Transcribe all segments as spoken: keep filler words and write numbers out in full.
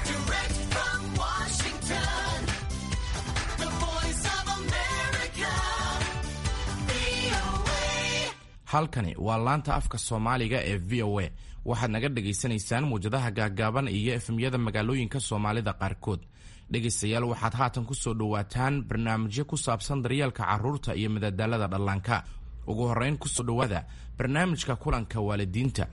Direct from Washington, the voice of America, V O A. Halkani waa laanta afka Soomaaliga ee V O A. Waxaad naga dhagaysanaysaan muwjadaha gaaggaaban iyo F M-yada magaalooyinka Soomaalida qaarkood. Dhegaystayaal, waxaad haatan ku soo dhowaataan barnaamijyo ku saabsan daryeelka carruurta iyo madadaalada dhallaanka. Ugu horrayn, kusoo dhowaada barnaamijka kulanka waalidiinta.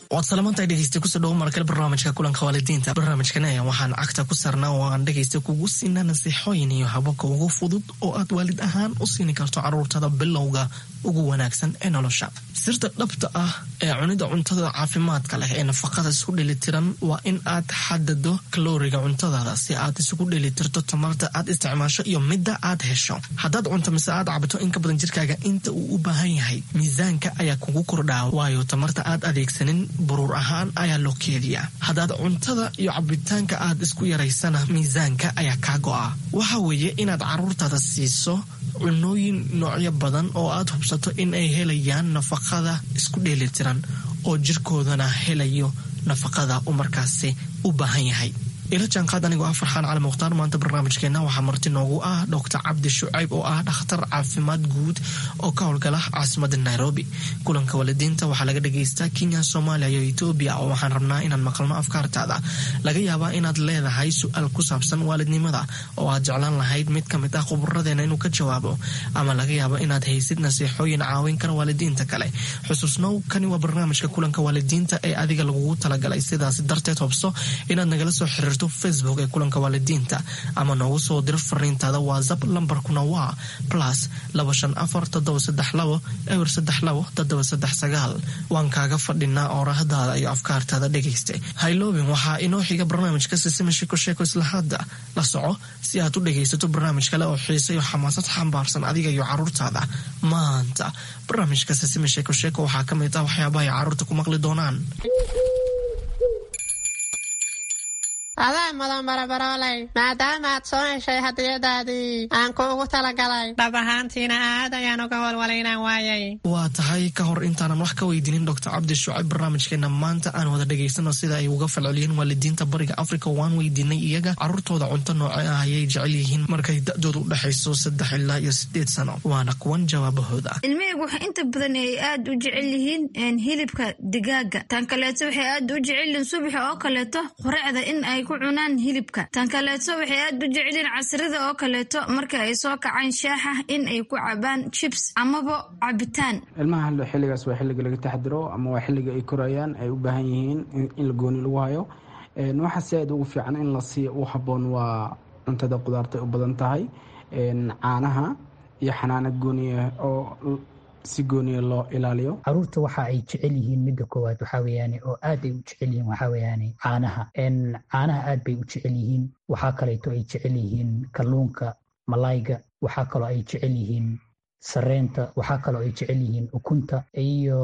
Waad salamantahay, dhegeysta. Kusoo dhawo markale barnaamijka kulanka waalidiinta. Barnaamijkan ayaa waxaan cagta ku saarnaa oo aan dhegeysta kugu siinaa nasiixooyin iyo hababka ugu fudud oo aad waalid ahaan u siini karto caruurtada bilowga ugu wanaagsan ee nolosha. Sirta dhabta ah ee cunida cuntada caafimaadka leh ee nafaqada isku dheelitiran waa in aad xadado kalooriga cuntadaada si aad isugu dheelitirto tamarta aad isticmaasho iyo midda aad hesho. Haddaad cunto mise aad cabto in ka badan jirkaaga inta uu u baahan yahay, miisaanka ayaa kugu kordhaa, waayo tamarta aad adeegsanin buruur ahaan ayaa loo keediyaa. Haddaad cuntada iyo cabitaanka aad isku yaraysana, miisaanka ayaa kaa go'a. Waxa weeye inaad caruurtaada siiso cunooyin noocyo badan oo aad hubsato in ay helayaan nafaqada isku dheelitiran oo jirkoodana helayo nafaqada uu markaasi u baahan yahay. Ila jaanqaad anigoo ah Farxaan Cali Mukhtaar. Maanta barnaamijkeena waxaa marti noogu ah Doctor Cabdi Shucayb oo ah dhakhtar caafimaad guud oo ka howlgala caasimada Nairobi. Kulanka waalidiinta waxaa laga dhagaystaa Kenya, Soomaaliya iyo Etoobiya, oo waxaan rabnaa inaan maqalno afkaartaada. Laga yaabaa inaad leedahay su-aal ku saabsan waalidnimada oo aad jeclaan lahayd mid ka mid ah khuburadeena inuu ka jawaabo, ama laga yaabo inaad haysid nasiixooyin caawin kara waalidiinta kale. Xusuusnow, kani waa barnaamijka kulanka waalidiinta ee adiga lagugu talagalay. Sidaas darteed, hubso inaad nagala soo xiriirto Facebook ee kulanka waalidiinta ama noogu soo diro fariintaada WhatsApp. Lambarkuna waa plus laba shan afar toddoba saddex labo eber saddex labo toddoba saddex sagaal. Waan kaaga fadhinaa oorahdaada iyo afkaartaada, dhegayste. Hayloobin, waxaa inoo xiga barnaamijka Sisima Sheko Sheeko. Isla hadda la soco si aad u dhegaysato barnaamij kale oo xiise iyo xamaasad xambaarsan adiga iyo caruurtaada. Maanta barnaamijka Sisima Sheeko Sheeko waxaa ka mid ah waxyaabaha ay caruurta ku maqli doonaan. Adaa mudan, barabarooley, maadaama aad soo heshay hadiyadaadii aan kuugu talagalay. Dhab ahaantiina aad ayaan uga walwalay inaan waayay. Waa tahay. Ka hor intaanan wax ka weydiinin Doctor Cabdi Shucayb barnaamijkeena maanta, aan wada dhegaysano sida ay uga falceliyeen waalidiinta Bariga Africa. Waan weydiinay iyaga caruurtooda cunto nooce ah ayay jecel yihiin markay da-doodu u dhexayso saddex ilaa iyo sideed sano. Waana kuwan jawaabahooda. Ilmahaygu waxay inta badan ay aad u jecel yihiin hilibka digaaga. Tan kaleeto, waxay aad u jecel yihiin subaxa oo kaleeto quraacda in ay ku cunaan hilibka. Tan kaleeto, waxay aad u jecel yihiin casrida oo kaleeto marka ay soo kacaan shaaxa in ay ku cabaan chips amaba cabitaan. Ilmaha xilligaas waa xilliga laga taxdiro ama waa xilliga ay korayaan, ay u baahan yihiin in la gooni lagu hayo. Waxa si aad ugu fiican in la siiyo u habboon waa cuntada qudaarta u badan tahay, caanaha iyo xanaano gooniya oo si gooniya loo ilaaliyo. Caruurta waxa ay jecel yihiin, midda koowaad waxaa weeyaane oo aad ay u jecel yihiin, waxaa weeyaane caanaha. Caanaha aad bay u jecel yihiin. Waxaa kaleeto ay jecel yihiin kalluunka, malayga. Waxaa kaloo ay jecel yihiin sareenta. Waxaa kaloo ay jecel yihiin ukunta iyo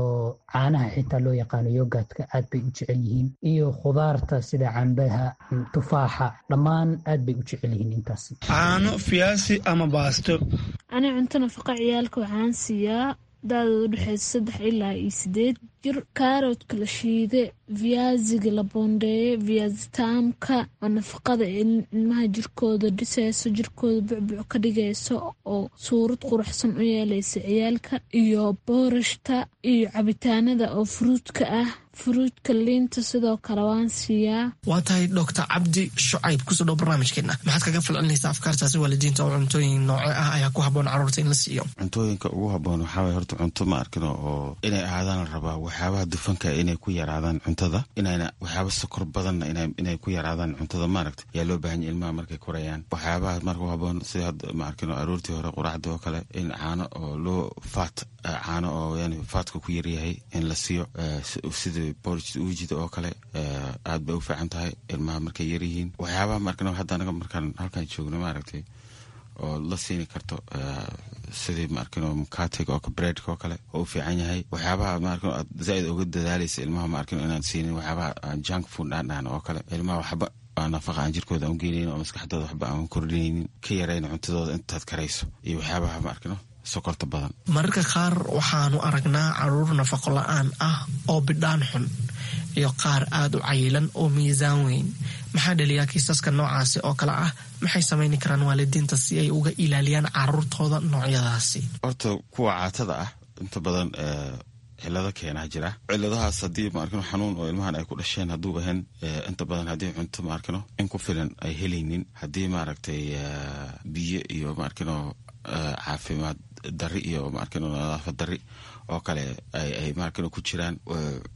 caanaha xitaa loo yaqaano yogurtka, aad bay u jecel yihiin, iyo khudaarta sida cambaha, tufaaxa, dhammaan aad bay u jecel yihiin intaasi. Caano, fiyaasi ama baasto. Ani cunto nafaqa ciyaalka waxaan siiyaa da-dooda udhexeysa saddex ilaa iyo sideed jir kaaroodka la shiide, viyaasiga la boondeeye, viyaasi taamka oo nafaqada ilmaha jirkooda dhiseyso, jirkooda bucbuc ka dhigayso oo suurad quruxsan u yeeleysa ciyaalka, iyo boorashta iyo cabitaanada oo furuudka ah, furuudka liinta sidoo kale waan siiyaa. Waa tahay. Doctor Cabdi Shucayb, kusoo dhow barnaamijkeena. Maxaad kaga falcelinaysaa afkaartaasi waalidiinta oo cuntooyin nooce ah ayaa ku habboon caruurta in la siiyo? Cuntooyinka ugu habboon waxaa waye horta cunto ma arkino oo inay ahaadaan la rabaa waxyaabaha dufanka inay ku yaraadaan cuntada, inayna waxyaaba sokor badanna inay ku yaraadaan cuntada, maaragta, yaa loo baahan yahay ilmaha markay korayaan. Waxyaabaha marka u habboon sida hadda, ma arkino, aroortii hore quraacdii oo kale in caano oo loo faat, caano oo yani faatka ku yaryahay in la siiyo, sida porridge uujida oo kale, aad bay u fiican tahay ilmaha markay yaryihiin. Waxyaabaha markano hadda anaga markaan halkaan joogno, maaragtay, oo la siini karto Sidii ma arkino mukatiga oo breadka oo kale oo u fiican yahay. Waxyaabaha ma arkino aad zaaid uga dadaalaysa ilmaha ma arkino inaad siinin waxyaabaha junk food aan dhahan oo kale, ilmaha waxba nafaqa aan jirkooda aan u geenaynin oo maskaxdooda waxba aan kordhinaynin, ka yarayna cuntadooda intaad karayso iyo waxyaabaha ma arkino sokorta badan. Mararka qaar waxaanu aragnaa caruur nafaqo la-aan ah oo bidhaan xun iyo qaar aada u cayilan oo miisaan weyn. Maxaa dhaliyaa kiisaska noocaasi oo kale ah? Maxay samayni karaan waalidiinta si ay uga ilaaliyaan caruurtooda noocyadaasi? Horta kuwa caatada ah inta badan cilado keenaa jira. Ciladahaas haddii ma arkino xanuun oo ilmahan ay ku dhasheen hadduu ahayn, inta badan haddii cunto ma arkino in ku filan ay helaynin, haddii maaragtay biyo iyo ma arkino caafimaad dari iyo ma arkino nadaafad dari oo kale ay maarkino ku jiraan,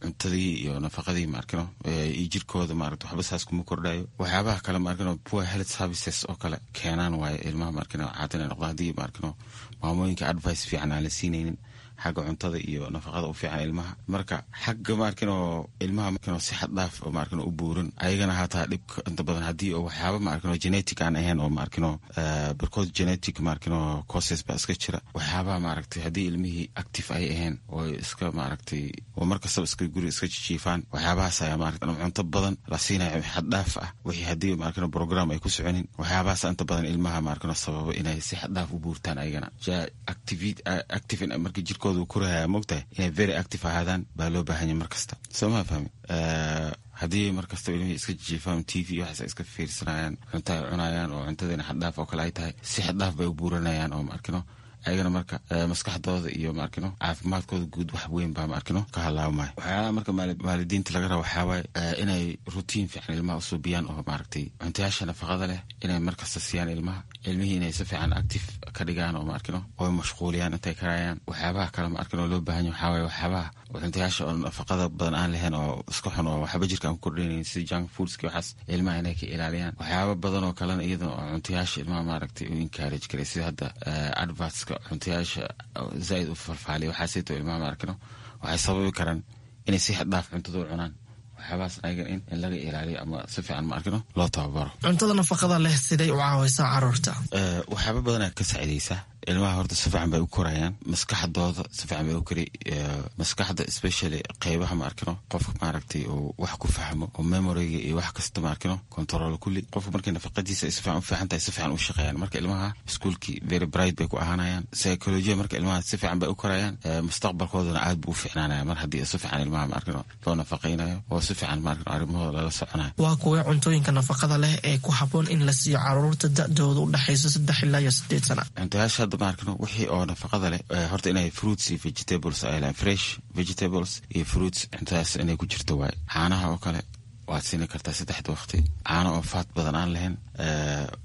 cuntadii iyo nafaqadii ma arkino iyo jirkooda maaragta waxba saas kuma kordhayo. Waxyaabaha kale ma arkino poor health services oo kale keenaan waayo ilmaha ma arkino caata inay noqdaan, haddii ma arkino maamooyinka advice fiican aan la siinaynin xagga cuntada iyo nafaqada u fiican ilmaha. Marka xagga ma arkino ilmaha markino si xad dhaaf oo ma arkino u buuran ayagana hataa dhibka inta badan haddii oo waxyaaba ma arkino genetic aan ahayn oo ma arkino barkood genetic ma arkino causes baa iska jira. Waxyaabaha maaragtay haddii ilmihii active ay ahayn oo iska maaragtay oo mar kastaba iska guri iska jijiifaan, waxyaabahaas ayaa maaragtay cunto badan la siinayo xad dhaaf ah, wixii haddii ma arkino program ay ku soconin, waxyaabahaas inta badan ilmaha ma arkino sababo inay si xad dhaaf u buurtaan ayagana. Active marka jirkooda uu korahaya, mogtahay inay very active ahaadaan baa loo baahan yahay mar kasta, soo ma fahmi? Haddii mar kastaba ilmihii iska jijiifaan, T V waxaas iska fiirsanayaan, cunto ay cunayaan oo cuntadiina xaddhaaf oo kale ay tahay, si xaddhaaf bay u buuranayaan oo ma arkino ayagana marka maskaxdooda iyo ma arkino caafimaadkooda guud wax weyn baa ma arkino ka halaabmaya. Waxyaalaha marka waalidiinta laga raba waxaa waaye inay routine fiican ilmaha usuubiyaan oo maaragtay cuntayaasha nafaqada leh inay markasta siiyaan ilmaha, ilmihii inay si fiican active ka dhigaan oo ma arkino oo mashquuliyaan intay karayaan. Waxyaabaha kale ma arkino loo baahan yahay waxaa waaye waxyaabaha cuntayaasha oo nafaqada badan aan lahayn oo iska xun oo waxba jirka aan ku kordhinaynin, sida junk foodski, waxaas ilmaha inay ka ilaaliyaan. Waxyaaba badan oo kalena iyadana oo cuntayaasha ilmaha maaragtay u encourage karay, sida hadda advertska cuntayaasha zaaid u farfaaliya, waxaasayto ilmaha ma arkino waxay sababi karaan inay si xad dhaaf cuntada u cunaan. Waxyaabahaas ayaga in in laga ilaaliyo ama si fiican ma arkino loo tababaro. Cuntada nafaqada leh siday u caawaysaa caruurta? Waxyaaba badanaa ka saacidaysa ilmaha. Horta si fiican bay u korayaan, maskaxdooda si fiican bay u kori, maskaxda especially qeybaha ma arkino qofka maaragtay uu wax ku fahmo oo memoryga iyo wax kasta ma arkino control kulli. Qofka markay nafaqadiisa ay si fiican u fiican tahay, si fiican u shaqeeyaan. Marka ilmaha iskuulkii very bright bay ku ahaanayaan, psychology marka ilmaha si fiican bay u korayaan, mustaqbalkoodana aad buu u fiicnaanaya mar haddii si fiican ilmaha ma arkino loo nafaqaynayo oo si fiican ma arkino arrimahooda lala soconayo. Waa kuwee cuntooyinka nafaqada leh ee ku habboon in la siiyo caruurta da-dooda u dhexayso saddex ilaa iyo sideed sana? Cuntayaasha hadda ma arkino wixii oo nafaqada leh, horta inay fruits iyo vegetables ay lehan, fresh vegetables iyo fruits, cuntadaas inay ku jirto waaye. Caanaha oo kale waad siini kartaa saddexda waqti, caano oo fat badan aan lahayn.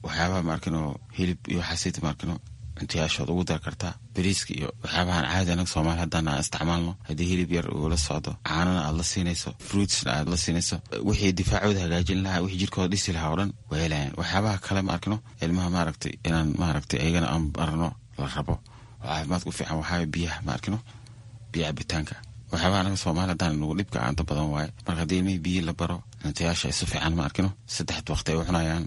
Waxyaabaha ma arkino hilib iyo waxaasita ma arkino cuntayaashood ugu dar kartaa. Bariiska iyo waxyaabahan caadi anaga Soomaali haddaan aan isticmaalno, haddii hilib yar uu la socdo, caanana aad la siinayso, fruitsna aad la siinayso, wixii difaacooda hagaajin lahaa, wixii jirkooda dhisi lahaa oo dhan way helayaan. Waxyaabaha kale ma arkino ilmaha maaragtay inaan maaragtay ayagana aan barno la rabo oo caafimaadka u fiican waxaa biyaha ma arkino, biyo cabitaanka. Waxyaabaha anaga Soomaali haddaan nagu dhibka inta badan waaye. Marka haddii ilmihii biyi la baro, cuntayaasha ay si fiican ma arkino saddexda waqti ay u cunayaan,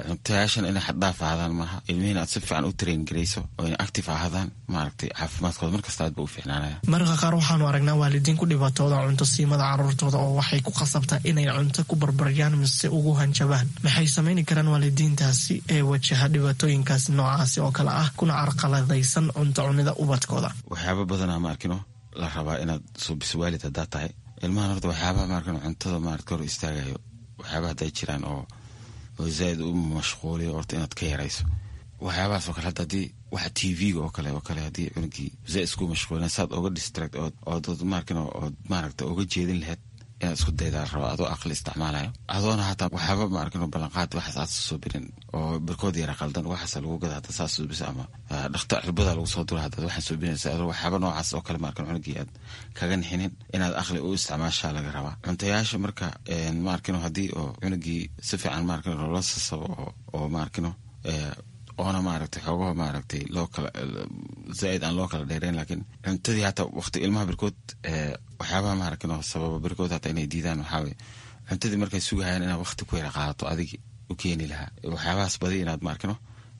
cuntayaashan inay xaddhaaf ahaadaan maaha, ilmihiina aad si fiican u train garayso oo inay active ahaadaan, maaragtay caafimaadkooda markasta aad ba u fiicnaanaya. Mararka qaar waxaanu aragnaa waalidiin ku dhibaatooda cunto siimada caruurtooda oo waxay ku khasabtaa inay cunto ku barbaryaan mise ugu hanjabaan. Maxay samayni karaan waalidiintaasi ee wajaha dhibaatooyinkaasi noocaasi oo kale ah kuna carqaladaysan cunto cunida ubadkooda? Waxyaaba badanaa ma arkino la rabaa inaad suubiso waalid haddaad tahay ilmahan. Horta waxyaabaha ma arkino cuntada maarata hor istaagayo, waxyaabaha hadday jiraan oo oo zaaid u mashquuliyo, horta inaad ka yarayso waxyaabahaas oo kale. Hadda haddii waxa T V-ga oo kale oo kale haddii cunugii zaaid isku mashquulin, saad oga distract ood ood maarkin ood maaragta oga jeedin lahayd inaad isku daydaa la rabaa, adoo aqli isticmaalayo, adoona hataa waxyaaba ma arkin ballanqaad waxaas aad soo birin oo barkood yara qaldan, waxaas lagu gada hadda saas suubisa ama dhakta cirbada lagu soo dura haddaad waxaan suubinaysa, adoo waxyaaba noocaas oo kale ma arkin cunugii aad kaga nixinin, inaad aqli u isticmaashaa laga rabaa cuntayaasha. Marka ma arkino haddii oo cunugii si fiican ma arkin loola sasabo oo oo ma arkino oona maaragtay xoogaha maaragtay loo kala zaaid aan loo kala dheereyn, laakiin cuntadii hataa waqti ilmaha barkood waxyaabaha maaragtay sababa barkood hataa inay diidaan waxaa waye cuntadii markay sugahayaan inaad waqti ku yara qaadato adigi u keeni lahaa, waxyaabahaas badi inaad maarkino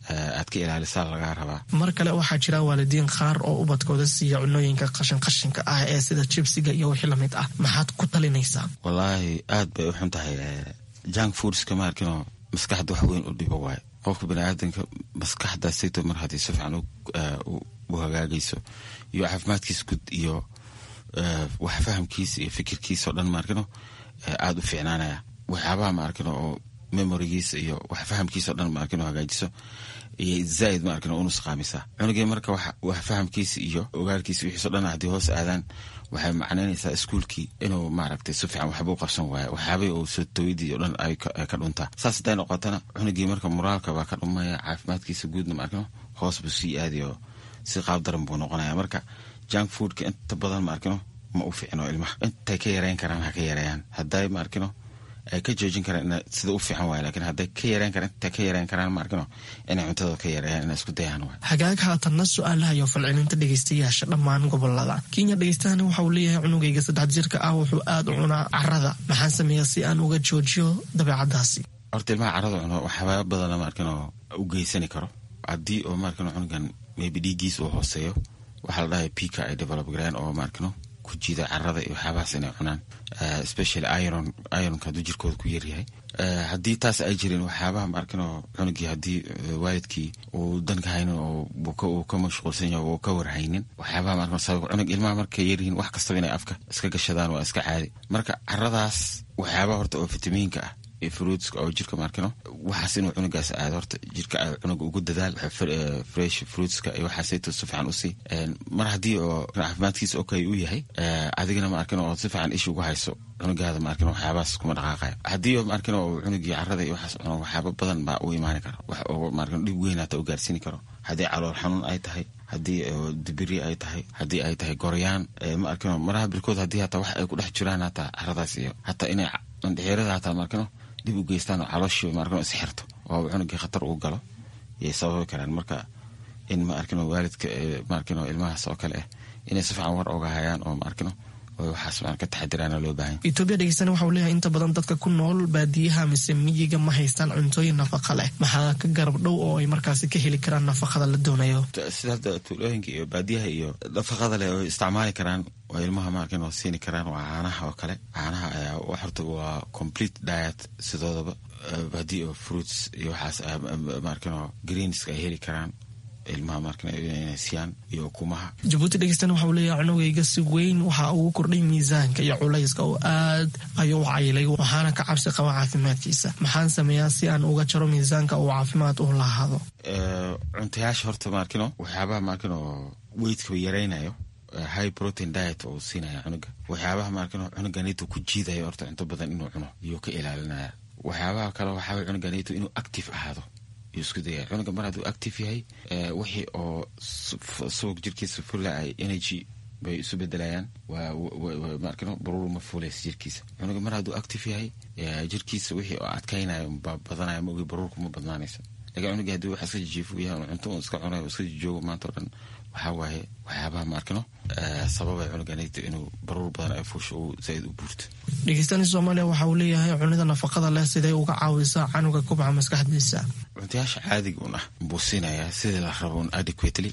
Aad ka ilaalisaa lagaa rabaa. Mar kale waxaa jira waalidiin qaar oo ubadkooda siiya cunooyinka qashin qashinka ah ee sida jibsiga iyo wixii lamid ah. Maxaad ku talinaysaa? Wallaahi aad bay u xun tahay junk foodska, ma arkinoo, maskaxda wax weyn u dhibo waayo. Qofka baniaadanka maskaxda sito mar haddii si fiican u hagaagayso iyo caafimaadkiisa guud iyo wax fahamkiisa iyo fikirkiisa o dhan, maarkino, aada u fiicnaanaya. Waxyaabaha, maarkino, oo memorigiisa iyo wax fahamkiisa o dhan, maarkino, hagaajiso iyo zaaid, maarkino, u nusqaamisaa cunugii. Marka wax fahamkiisa iyo ogaalkiisa wixiiso dhan haddii hoos aadaan, waxay macnaynaysaa iskuulkii inuu, maaragtay, si fiican waxba u qabsan waayo, waxyaabihii uu soo tawidii o dhan ay ka dhuntaa. Saas hadday noqotana, cunugii marka moraalka baa ka dhumaya, caafimaadkiisa guudna, maarkino, hoos buu sii aadayo, si qaab daran buu noqonaya. Marka junk foodka inta badan, maarkino, ma u fiicno ilmaha. Intay ka yareyn karaan ha ka yareeyaan. Hadday, maarkino, ay ka joojin karaan sida u fiican waay, lakiin hadday ka yareyn karaan, intay ka yareyn karaan, maarkino, inay cuntada ka yareeyaan, inay isku dayaan waay. Hagaag, haatanna su-aalaha iyo falcelinta dhegeystayaasha dhammaan gobolada Kenya. Dhegeystahani waxa uu leeyahay: cunugayga saddex jirka ah wuxuu aada u cunaa carada. Maxaan sameeyaa si aan uga joojiyo dabeecadaasi? Horta ilmaha carada cuno waxyaaba badana, maarkino, u geysani karo. Haddii oo, maarkino, cunugan maybe dhiiggiis uu hooseeyo, waxaa la dhahay pica ay develop gareyn oo, maarkino, ku jiida carada iyo waxyaabahaas inay cunaan, especially iron. Ironka hadduu jirkooda ku yaryahay, haddii taas ay jirin, waxyaabaha, maarkino, cunugii haddii waalidkii uu danka haynin oo uu ka mashquulsan yahay oo ka warhaynin waxyaabaha, maarkino, sabab cunug ilmaha markay yaryihiin wax kastaba inay afka iska gashadaan waa iska caadi. Marka caradaas waxyaabaha horta oo fitamiinka ah iyo fruitska oo jirka, maarkino, waxaas inuu cunugaas aado horta jirka cunuga ugu dadaal. Fresh fruitska iyo waxaasayto si fiican usii. Mar haddii oo caafimaadkiisa okay uu yahay, adigana, maarkino, oo si fiican isha ugu hayso cunugaada, maarkino, waxyaabahaas kuma dhaqaaqayo. Haddii oo, maarkino, uu cunugii carada iyo waxaas cuno, waxyaaba badan baa u imaani kara, wax oo, maarkino, dhib weyn hata u gaarsiini karo. Haddii calool xanuun ay tahay, haddii dibiri ay tahay, haddii ay tahay goryaan, ma arkino, maraha birkood haddii hataa wax ay ku dhex jiraan hataa caradaas iyo hataa inay mandhixirada hataa, maarkino, dib u geystaan oo calooshii, maarkino, isxirto oo cunugii khatar ugu galo yay sababi karaan. Marka in, ma arkino, waalidka, maarkino, ilmahaas oo kale ah inay si fiican war oga hayaan oo, maarkino, waxaas ka taxadiraana loo baahan. Etoobiya dhegeystana waxa uu leeyahay: inta badan dadka ku nool baadiyaha mise miyiga ma haystaan cuntooyin nafaqa leh. Maxaa ka garab dhow oo ay markaasi ka heli karaan nafaqada la doonayo? Sida hadda tuulooyinka iyo baadiyaha iyo nafaqada leh oo isticmaali karaan oo ilmaha, maarkin, oo siini karaan waa caanaha oo kale. Caanaha ayaa horta waa complete diet sidoodaba. Haddii oo fruits iyo waxaas, maarkin, oo greenska ay heli karaan ilmaha, markan, inay siiyaan iyo ukumaha. Jabuuti dhegeystana waxa uu leeyahay: cunugayga si weyn waxa ugu kordhay miisaanka iyo culayska oo aad ayuu u cayilay, waxaana ka cabsi qaba caafimaadkiisa. Maxaan sameeyaa si aan uga jaro miisaanka uu caafimaad u lahaado? Cuntayaasha horta, maarkino, waxyaabaha, maarkino, weightkaba yaraynayo, high protein diet oo siinaya cunuga. Waxyaabaha, maarkino, cunuganito ku jiidayo horta cunto badan inuu cuno iyuu ka ilaalinaya. Waxyaabaha kale waxaa cunuganito inuu active ahaado yuu isku dayaya. Cunuga mar hadduu active yahay, wixii oo subag jirkiisa fula ay energy bay isu bedelayaan, waa, maarkino, baruur ma fuulaysa jirkiisa. Cunuga mar hadduu active yahay, jirkiisa wixii oo adkaynayo baa badanaya, ma ogi, baruurku ma badnaanaysa. Lakin cunuga haddii wax iska jijiifo yahay, cunto un iska cunayo, iska jijoogo maanta o dhan, waxaa waaye waxyaabaha, maarkino, sababay cunuganito inuu baruur badan ay fuusho uu zaaid u buurto. Dhegeystani Soomaaliya waxa uu leeyahay: cunida nafaqada leh sidee uga caawisaa canuga kubca maskaxdiisa? Cuntayaasha caadiga un ah buu siinayaa sidii la rabo un adequately,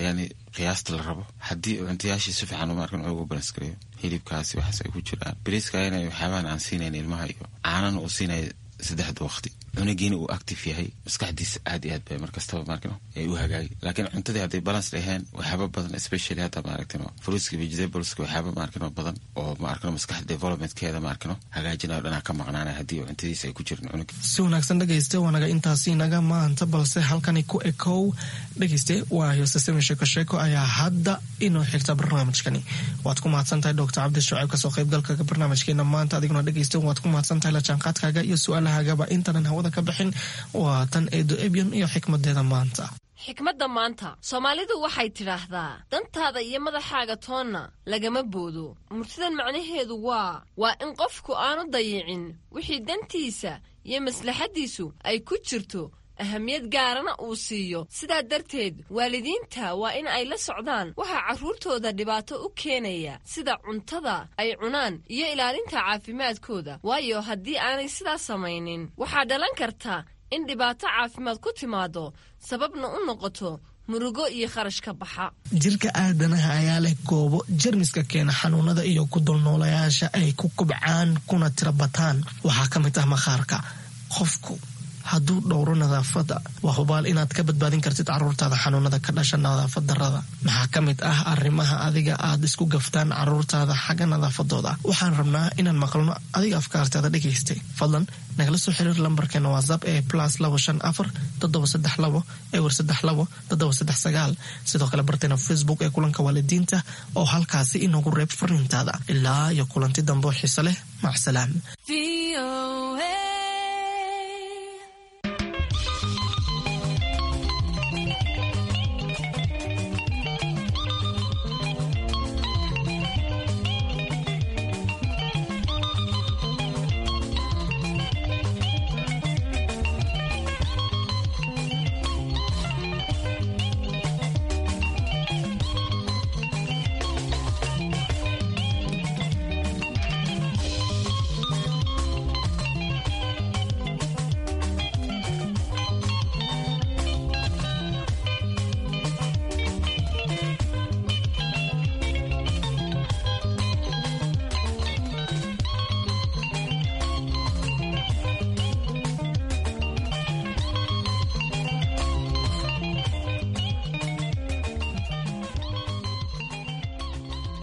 yani qiyaasta la rabo. Haddii cuntayaashii si fiican, maarkan, ugu balance gareeyo, hilibkaasi waxaas ay ku jiraan, bariiska inay waxyaabahan aan siinayn ilmaha iyo caanana uu siinaya saddexda waqti, cunugiina uu active yahay, maskaxdiisa aad iyo aad bay markastaba, maarkino, ay u hagaagi. Laakiin cuntadii hadday balance dhaheen, waxyaaba badan, especially hadda, maaragtino, fruitska, vegetables-ka, waxyaaba, maarkino, badan oo, maarkino, maskaxda developmentkeeda, maarkino, hagaajinayo dhanaa ka maqnaanaya haddii cuntadiisa ay ku jirin cunuga. Si wanaagsan dhegayste, waanaga intaasi naga maanta, balse halkani ku ekow dhegayste. Waa heesasami sheeko sheeko ayaa hadda inoo xigta barnaamijkani. Waad ku mahadsan tahay Doctor Cabdi Shucayb kasoo qaybgalka barnaamijkeena maanta. Adiguna dhegayste waad ku mahadsan tahay la jaanqaadkaaga iyo su-aalahagaba. Intaanan hawada ka bixin, waa tan Eedo Ebyan iyo xikmadeeda maanta. Xikmadda maanta, Soomaalidu waxay tidhaahdaa: dantaada iyo madaxaaga toonna lagama boodo. Murtidan macnaheedu waa waa in qofku aanu dayicin wixii dantiisa iyo maslaxaddiisu ay ku jirto, ahamiyad gaarana uu siiyo. Sidaa darteed waalidiinta waa in ay la socdaan waxaa carruurtooda dhibaato u keenaya, sida cuntada ay cunaan iyo ilaalinta caafimaadkooda, waayo haddii aanay sidaas samaynin waxaa dhalan karta in dhibaato caafimaad ku timaado, sababna u noqoto murugo iyo kharash ka baxa. Jirka aadanaha ayaa leh goobo jermiska keena xanuunada iyo ku dulnoolayaasha ay ku kubcaan kuna tira bataan. Waxaa ka mid ah maqaarka. Qofku hadduu dhowro nadaafadda, waa hubaal inaad ka badbaadin kartid caruurtaada xanuunada ka dhasha nadaafad darrada. Maxaa ka mid ah arrimaha adiga aad isku gaftaan caruurtaada xagga nadaafadooda? Waxaan rabnaa inaan maqalno adiga afkaartaada dhegaystay. Fadlan nagala soo xiriir lambarkeena WhatsApp ee plus labo shan afar toddoba saddex labo ewer saddex labo toddoba saddex sagaal. Sidoo kale barteena Facebook ee Kulanka Waalidiinta oo halkaasi inoogu reeb fariintaada. Ilaa iyo kulanti dambe oo xiise leh, macsalaam.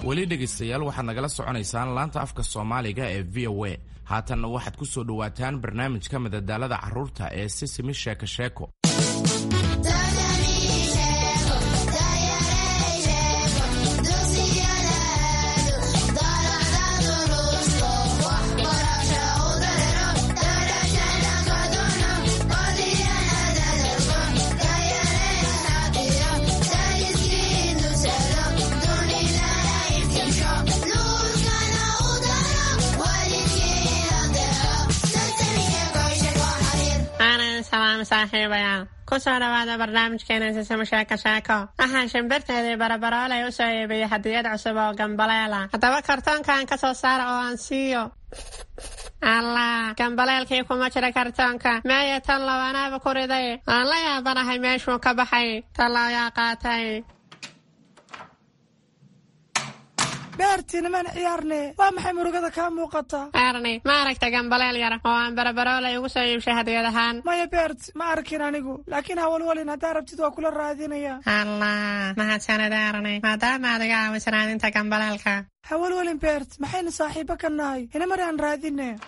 Weli dhegaystayaal, waxaad nagala soconaysaan laanta afka Soomaaliga ee V O A. Haatanna waxaad ku soo dhowaataan barnaamijka madadaalada carruurta ee Sisimi Sheeko Sheeko. Aanan salaam saaxiibayaal, ku soo dhawaada barnaamijkeena Sisimo Sheeko Sheeko. Waxaan shimbirteedii Barabaroolay u soo iibiyey hadiyad cusub oo gambaleela. Haddaba kartoonkan ka soo saara oo aan siiyo. Allah, gambaleelkii kuma jira kartoonka. Meeye tan lawanaaba ku riday? Aan la yaabanahay meeshuu ka baxay. Tallo yaa qaatay? Beertii, nimaan ciyaarne. Waa maxay murugada kaa muuqata? Erni, ma aragta gambaleel yar oo aan Barabaroolay ugu soo iibshay hadiyad ahaan? Maya Beert, ma arkin anigu, laakiin hawalwalin, haddaa rabtid waa kula raadinaya. Allah, mahadsanid Erni, maadaama aad iga caawiso raadinta gambaleelka. Hawalwalin Beert, maxaynu saaxiibo ka nahay? Inamar aan raadine.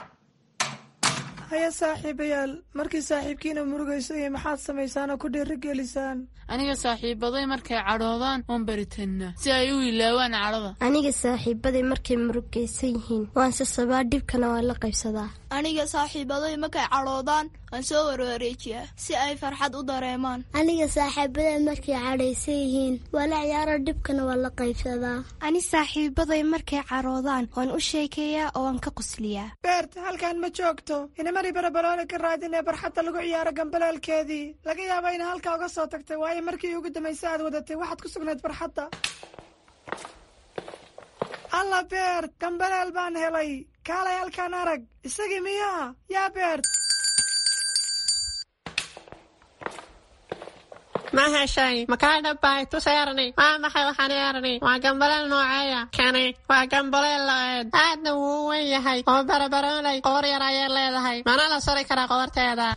Haya saaxiibayaal, markii saaxiibkiina murugayso iyo maxaad samaysaan oo ku dhiirigelisaan? Aniga saaxiibaday markay cadhoodaan waan baritannaa si ay u ilaawaan cadhada. Aniga saaxiibaday markay murugaysan yihiin waan sasabaa, dhibkana waan la qaybsadaa. Aniga saaxiibaday markay cadhoodaan waan soo warwareejiyaa si ay farxad u dareemaan. Aniga saaxiibaday markay cadhaysan yihiin waa la ciyaara, dhibkana waan la qaybsadaa. Ani saaxiibaday markay caroodaan waan u sheekeeyaa oo waan ka qosliyaa. Beert, halkan ma joogto. Inamari Barabaroole ka raadinee barxadda lagu ciyaaro gambaleelkeedii. Laga yaaba ina halkaa uga soo tagtay, waayo markii ugu dambaysa aad wadatay waxaad ku sugnayd barxadda. Alla Beert, gambaleel baan helay. Kaalay halkaan arag. Isagii miyaa yaa Beert? Ma heshay? Makaa dhabbay? Tus Erni. Waa maxay waxaan Erni? Waa gambaleel nooceeya kani? Waa gambaleel lo-eed, aadna wuu u weyn yahay oo Barabaroolay qoor yar ayay leedahay, mana la sari karaa qoorteeda.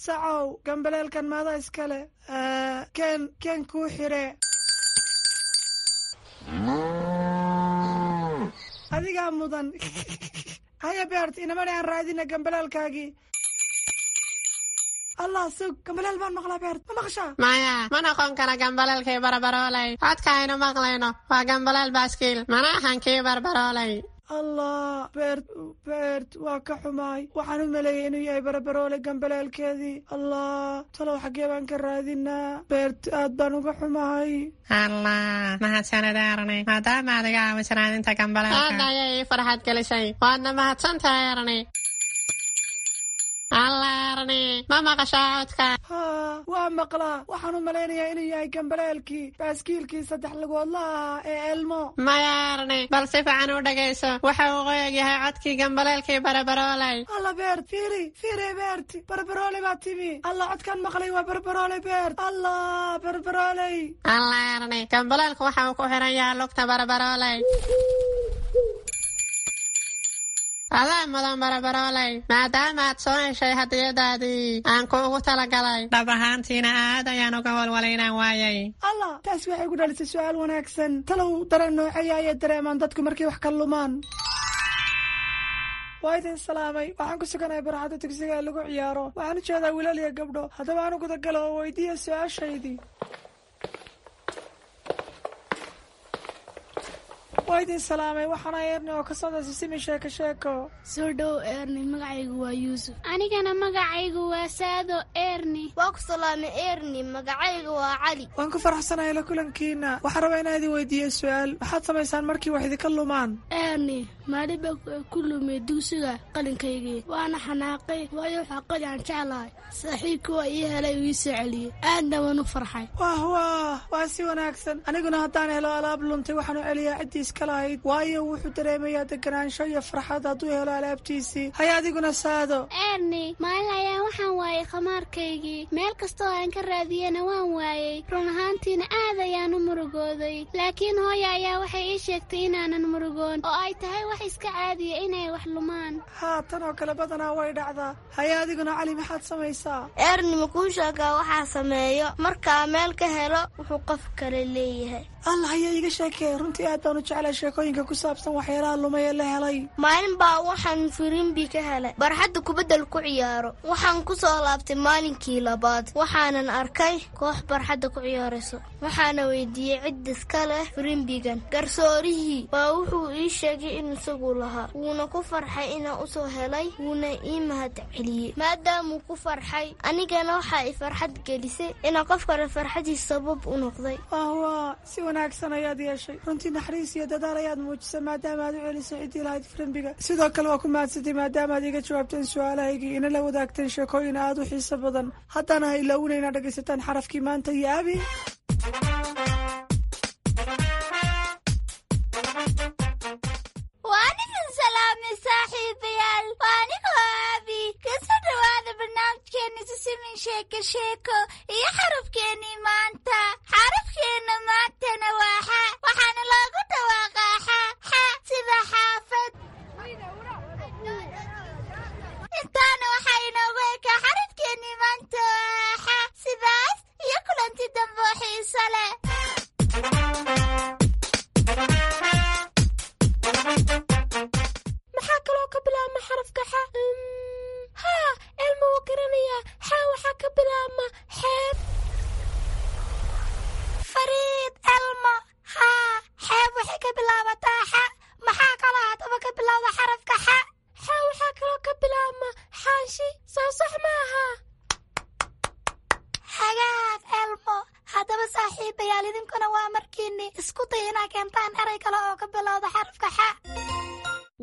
Sacow, gambaleelkan maada iskale? Keen, keen kuu xire. Adigaa mudan. Haya Beert, inamani aan raadina gambaleelkaagii. Allah, sug, gambaleel baan maqlaa. Beert, ma maqashaa? Maya, ma noqon kara gambaleelkii Barabaroolay. Codka aynu maqlayno waa gambaleel baaskiil, mana ahan kii Barbaroolay. Allah Beert, Beert, waa ka xumaay. Waxaan u maleeyey inuu yahay Barabaroole gambaleelkeedii. Allah, talow xaggee baan ka raadinaa? Beert, aad baan uga xumahay. Allah, mahadsanid Erni, maadaama aad iga caawiso raadinta gambaleelka. Aadna ayay ii farxad gelisay, waadna mahadsan tahay Erni. Alla Erni, ma maqashaa codka? Haa, waa maqlaa. Waxaan u malaynayaa inuu yahay gambaleelkii baaskiilkii saddex lugoodlaha ahaa ee Elmo. Maya Erni, bal si fiican u dhegayso. Waxa uu qoyag yahay codkii gambaleelkii Barabarooley. Alla Beert, fiiri fiiri, Beert, Barbarooley baa timi. Alla, codkaan maqlay waa Barbarooley, Beert. Alla, Barbarooley! Alla Erni, gambaleelku waxa uu ku xiran yahay lugta Barabarooley. Adaa mudan Barabarooley, maadaama aad soo heshay hadiyadaadii aan kuugu talagalay. Dhab ahaantiina aad ayaan uga walwalay inaan waayay. Alla, taas waxay ku dhalisay su-aal wanaagsan. Talow dareen nooceeya ayay dareemaan dadku markay wax ka lumaan? Waa idin salaamay. Waxaan ku suganahay barxadda dugsiga ee lagu ciyaaro. Waxaan u jeedaa wiilal iyo gabdho. Haddaba aan u gudagalo oo weydiiya su-aashaydii. Waa idin salaamay. Waxaana Erni oo ka socda Sisimi Sheeko Sheeko. Soo dhow Erni, magacaygu waa Yuusuf. Anigana magacaygu waa Saado Erni. Waa ku salaamay Erni, magacaygu waa Cali. Waan ku faraxsanahay la kulankiina. Waxaan rabaa inaan idin weydiiyo su-aal. Maxaad samaysaan markii wax idinka lumaan? Erni, maalin baa ku lumay dugsiga qalinkaygii, waana xanaaqay, waayo waxaa qalin aan jeclahay. Saaxiibka waa ii helay, uu ii soo celiyey, aadna waan u farxay. Wah wah, waa si wanaagsan. Aniguna haddaan helo alaab luntay, waxaan u celiyaa ciddii iska lahayd, waayo wuxuu dareemayaa deganaansho iyo farxad hadduu helo alaabtiisii. Haya, adiguna Saado? Erni, maalin ayaa waxaan waayay khamaarkaygii. Meel kastoo aan ka raadiyena waan waayey. Run ahaantiina aad ayaan u murugooday, laakiin hooya ayaa waxay ii sheegtay inaanan murugoon oo ay tahay wax iska caadiya inay wax lumaan. Haa, tan oo kale badanaa way dhacdaa. Haya, adiguna Cali, maxaad samaysaa? Erni, makuu sheegaa waxaa sameeyo markaa meel ka helo wuxuu qof kale leeyahay? Allah, ayaa iiga sheekee. Runtii aad baan u jeclay sheekooyinka ku saabsan waxyaalaha lumay ee la helay. Maalin baa waxaan firimbi ka helay barxadda kubaddal ku ciyaaro. Waxaan ku soo laabtay maalinkii labaad, waxaanan arkay koox barxadda ku ciyaarayso. Waxaana weydiiyey cid iska leh firimbigan. Garsoorihii baa wuxuu ii sheegay in isagu lahaa, wuuna ku farxay inaan usoo helay, wuuna ii mahad celiyey. Maadaamuu ku farxay, anigana waxaa i farxad gelisay inaan qof kale farxadiis sabab u noqday. Wah, si wanaagsan ayaad yeeshay. Runtii naxariis iyo dadaal ayaad muujisay maadaama aad u celisay ciddii lahayd firimbiga. Sidoo kale waa ku mahadsatay maadaama aad iga jawaabteen su-aalahaygii, ina la wadaagteen sheekooyin aad u xiiso badan. Haddana ha ilaawina inaad dhegaysataan xarafkii maanta iyo Abi. Waan idin salaamay saaxiibayaal, waa anigoo Aabi. Kasoo dhawaada barnaamijkeeni Sisimin Sheeko Sheeko iyo xarafkeenii maanta. Xarafkeenna maantana waa xa, waxaana loogu dhawaaqaa xa xa, sida xaafad. Intaana waxaa inoogu ekaa xarafkeenii maanta waa xa. Sidaas iyo kulanti dambe oo xiiso leh. Maxaa kaloo ka bilaabma xarafka xa? Haa, Elma wuu garanayaa. Xa waxaa ka bilaabma xeeb. Fariid Elmo, haa, xeeb waxay ka bilaabataa xa. Maxaa kaloo haddaba ka bilowda xarafka xa? Xa waxaa kaloo ka bilaabma xaashi, soo sax maaha? Hagaag Elmo. Haddaba saaxiibayaal, idinkuna waa markiinni isku day inaa keentaan erey kale oo ka bilowda xarafka xa.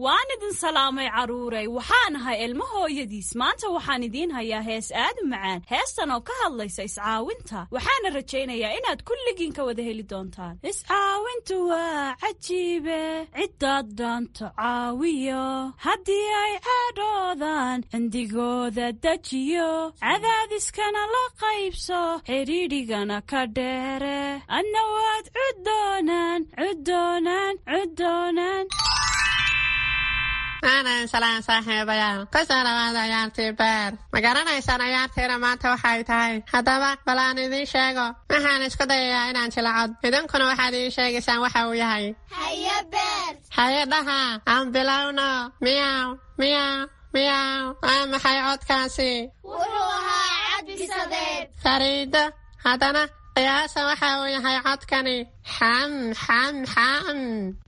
Waan idin salaamay carruuray. Waxaan ahay Ilmo hooyadiis. Maanta waxaan idiin hayaa hees aad u macaan, heestan oo ka hadlaysa iscaawinta. Waxaana rajaynayaa inaad kulligiin ka wada heli doontaan. Iscaawintu waa cajiibe, ciddaad dhaanto caawiyo, haddii ay cadhoodaan cindigooda dejiyo, cadaadiskana la qaybso, xidhiidhigana ka dheere, adna waad cuddoonaan cuddoonaan cuddoonaan. Aanan salaan saaxiibayaal, kusoo dhawaada ciyaartii beer. Ma garanaysaan ciyaartiina maanta waxay tahay? Haddaba bal aan idiin sheego. Waxaan isku dayayaa inaan jilacod, idinkuna waxaad ii sheegaysaan waxa uu yahay. Haye Beer. Haye dhaha, aan bilowno. Miyaw miyaw miyaw, waa maxay codkaasi? Wuxuu ahaa cad bisadeed. Fariido, haddana qiyaasa waxa uu yahay codkani. Xam xam xam,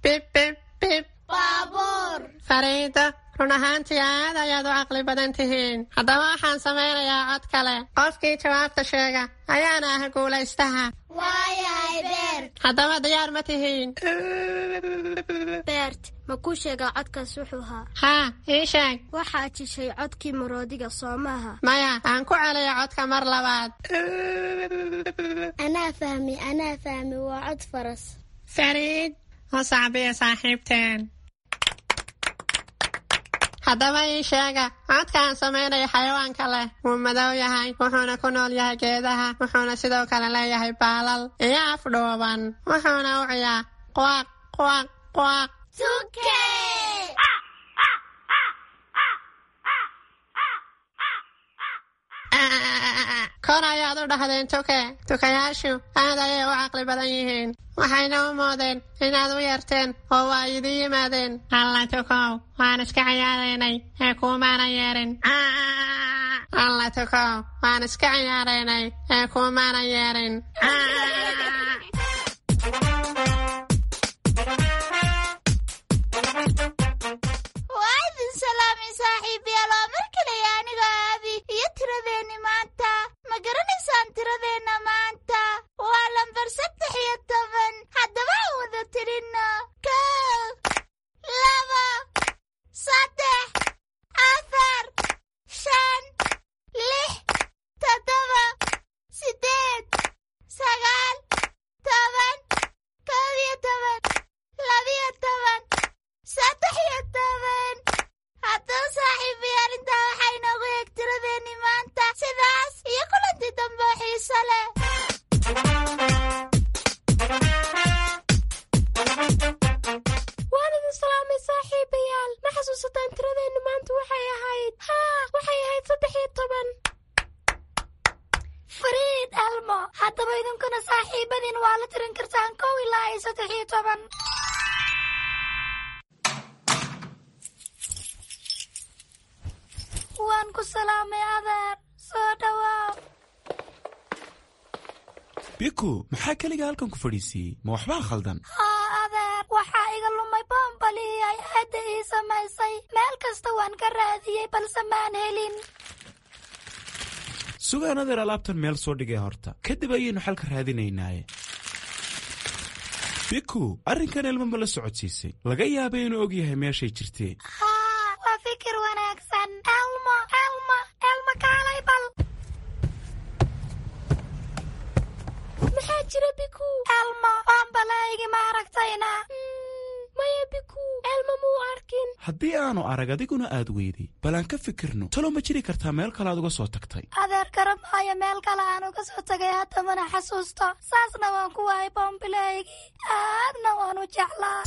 bib bib bib. Baabuur. Fariido, run ahaantii aad ayaad u caqli badan tihiin. Haddaba waxaan samaynayaa cod kale. Qofkii jawaabta sheega ayaana ah guulaystaha. Waayahay Beert. Haddaba diyaar ma tihiin? Beert, ma kuu sheegaa codkaas wuxuu ahaa? Haa, ii sheeg. Waxaad jishay codkii maroodiga, soo maaha? Maya, aan ku celiyo codka mar labaad. Anaa fahmi, anaa fahmi, waa cod faras. Fariid, u sacbiya saaxiibteen. Haddaba ii sheega codka aan samaynayo xayawaanka leh. Wuu madow yahay, wuxuuna ku nool yahay geedaha, wuxuuna sidoo kale leeyahay baalal iyo af dhuuban, wuxuuna u ciyaa quaq quaq quaq. Tuke! Kor ayaad u dhahdeen tuke. Tukayaashu aad ayay u caqli badan yihiin, waxayna u moodeen inaad u yeerteen oo waa idin yimaadeen. Alla tukow, waan iska ciyaaraynay ee kuumaana yeerin. Alla tukow, waan iska ciyaaraynay ee kuumaana yeerin. Waa idin salaamay saaxiibayaal, waa mar kale aniga Aabi iyo tiradeenni maanta. Ma garanaysaan tiradeenna maanta? Waa lambar saddex iyo toban. Haddaba aan wada tirinno: kow, laba, saddex, afar, shan, lix, toddoba, siddeed, sagaal, toban, kow iyo toban, labiyo toban, saddex iyo toban. Haddaba saaxiibayaal, intaa waxaa inoogu eeg tiradeenni maanta. Sidaas iyo kulantii dambe oo xiiso leh. Waan idin salaamay saaxiibayaal. Ma xasuusataan tiradeennu maanta waxay ahayd? Haa, waxay ahayd saddex iyo toban. Fariid, Elmo, haddaba idinkuna saaxiibadiin waa la tirin kartaan kow ilaa iyo saddex iyo toban. Waan ku salaamay adeer, soo dhawaaw. Biku, maxaa keliga halkan ku fadhiisiiyey? Ma waxbaa khaldan? Haa adeer, waxaa iga lumay boombalihii ay aadda ii samaysay. Meel kasta waan ka raadiyey balse maan helin. Sugaan adeer, alaabtan meel soo dhigay horta, kadib ayaynu xalka raadinaynaaye. Biku, arrinkan Elmo ma la socodsiisay? Laga yaabay inuu og yahay meeshay jirtee. Haa, waa fikir wanaagsan. Elmo, Elmo, Elmo, kaalay bal. Maxaa jira Biku? Elmo, boombalahaygi ma aragtayna? Maya Biku, Elmo muu arkin. Haddii aanu arag adiguna aad weyday, bal aan ka fikirno. Talo ma jiri kartaa meel kale aad uga soo tagtay? Adeer, garamaayo meel kale aan uga soo tagay, hadda mana xasuusto. Saasna waan ku waayay boombilahaygii, aadna waan u jeclaa.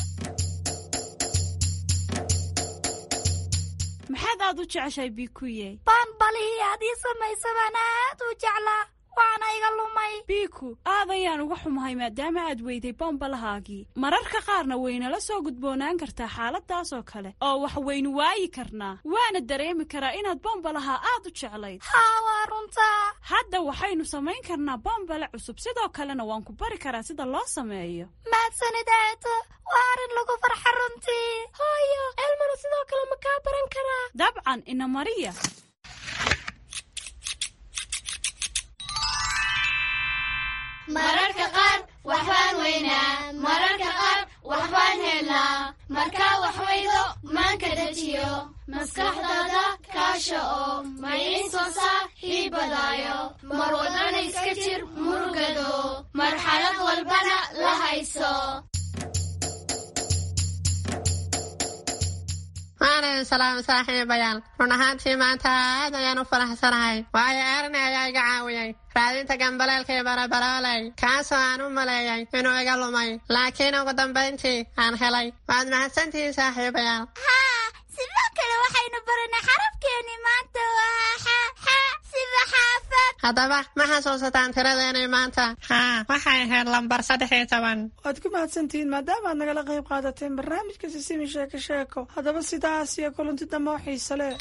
Maxaad aad u jeceshahay Bikuye? Boombalihii aad ii samaysa baan aad u jeclaa, waana iga lumay. Biku, aad ayaan uga xumahay maadaama aad weyday bombalahaagii. Mararka qaarna waynala soo gudboonaan kartaa xaaladaas oo kale, oo wax waynu waayi karnaa. Waana dareemi karaa inaad bombalaha aad u jeclayd. Haa, waa runtaa. Hadda waxaynu samayn karnaa bombale cusub, sidoo kalena waan ku bari karaa sida loo sameeyo. Mahadsanid aato, waa arrin lagu farxa runtii. Hooyo, Elmona sidoo kale ma kaa baran karaa? Dabcan, ina mariya. Mararka qaar waxbaan weynaa, mararka qaar waxbaan helnaa. Markaa wax weydo maanka dejiyo, maskaxdaada kaasha oo mayin soo saaxiibadaayo. Mar wadana iska jir murugado, marxalad walbana la hayso. Waan idin salaamay saaxiibayaal. Run ahaantii maanta aad ayaan u faraxsanahay, waayo Erni ayaa iga caawiyey raadinta gambaleelkii barabarooley, kaasoo aan u maleeyay inuu iga lumay, laakiin ugu dambayntii aan helay. Waad mahadsantihiin saaxiibayaal. Haa, sidoo kale waxaynu baranay xarafkeeni maanta waa xa, xa sida xaafad. Haddaba ma xasuusataan tiradeenii maanta? Haa, waxay ahayd lambar saddex iyo toban. Waad ku mahadsantihiin maadaama aad nagala qayb qaadateen barnaamijka Sisimi Sheeko Sheeko. Haddaba sidaas iyo kulanti dambe oo xiise leh.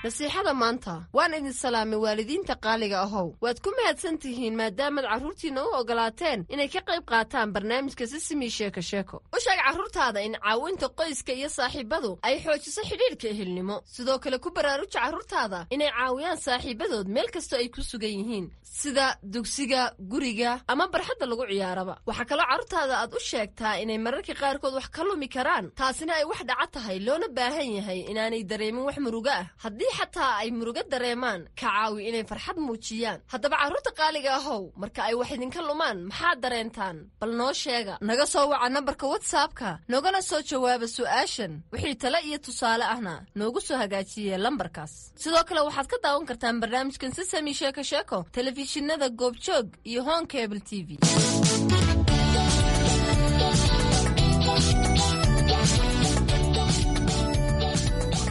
Nasiixada maanta. Waan idin salaamay, waalidiinta qaaliga ahow. Waad ku mahadsan tihiin maadaamaad carruurtiinna u ogolaateen inay ka qayb qaataan barnaamijka Sisimi Sheeko Sheeko. U sheeg carruurtaada in caawinta qoyska iyo saaxiibadu ay xoojiso xidhiidhka ehelnimo. Sidoo kale ku baraaruja carruurtaada inay caawiyaan saaxiibadood meel kastoo ay ku sugan yihiin, sida dugsiga, guriga ama barxadda lagu ciyaaraba. Waxaa kaloo carruurtaada aad u sheegtaa inay mararka qaarkood wax ka lumi karaan, taasina ay wax dhaca tahay, loona baahan yahay inaanay dareemin wax murugo ah. Haddii xataa ay murugo dareemaan, ka caawi inay farxad muujiyaan. Haddaba carruurta qaaliga ahow, marka ay wax idinka lumaan maxaad dareentaan? Bal noo sheega. Naga soo waca nambarka WhatsAppka, noogana soo jawaaba su'aashan. Wixii tale iyo tusaale ahna noogu soo hagaajiye lambarkaas. Sidoo kale waxaad ka daawan kartaan barnaamijkan Sisami Sheeko Sheeko telefishinada Goobjoog iyo Horn Cable T V.